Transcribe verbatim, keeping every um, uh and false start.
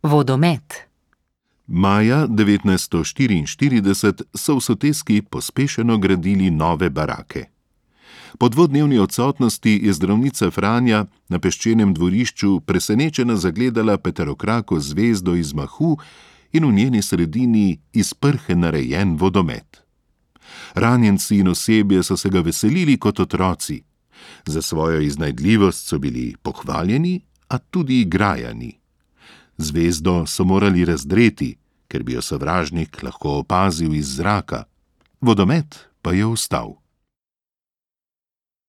Vodomet. Maja devetnajststo štiriinštirideset so v soteski pospešeno gradili nove barake. Po dvodnevni odsotnosti je zdravnica Franja na peščenem dvorišču presenečena zagledala peterokrako zvezdo iz mahu in v njeni sredini iz prhe narejen vodomet. Ranjenci in osebje so se ga veselili kot otroci. Za svojo iznajdljivost so bili pohvaljeni, a tudi grajani. Zvezdo so morali razdreti, ker bi jo sovražnik lahko opazil iz zraka. Vodomet pa je ostal.